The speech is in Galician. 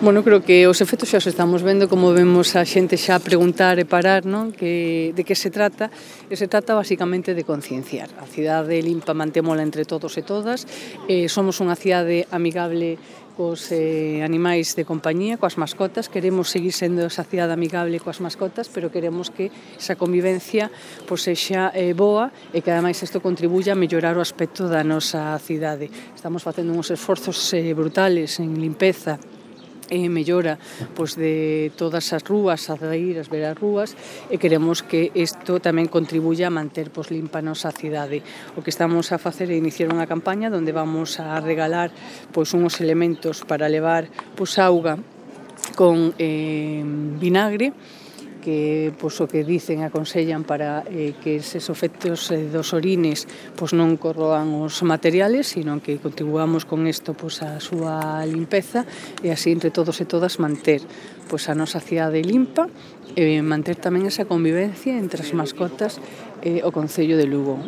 Bueno, creo que os efectos xa os estamos vendo, como vemos a xente xa preguntar e parar, non? De que se trata? E se trata basicamente de concienciar. A cidade limpa mantémola entre todos e todas. Somos unha cidade amigable cos animais de compañía, coas mascotas. Queremos seguir sendo esa cidade amigable coas mascotas, pero queremos que esa convivencia sexa boa e que ademais isto contribuya a mellorar o aspecto da nosa cidade. Estamos facendo uns esforzos brutales en limpeza e mellora de todas as rúas, as ir ver as rúas, e queremos que isto tamén contribuya a manter limpa a nosa cidade. O que estamos a facer é iniciar unha campaña onde vamos a regalar uns elementos para levar auga con vinagre, que o que dicen, aconsellan para que eses efectos dos orines non corroan os materiales, sino que contribuamos con isto a súa limpeza e así entre todos e todas manter a nosa cidade limpa e manter tamén esa convivencia entre as mascotas e o Concello de Lugo.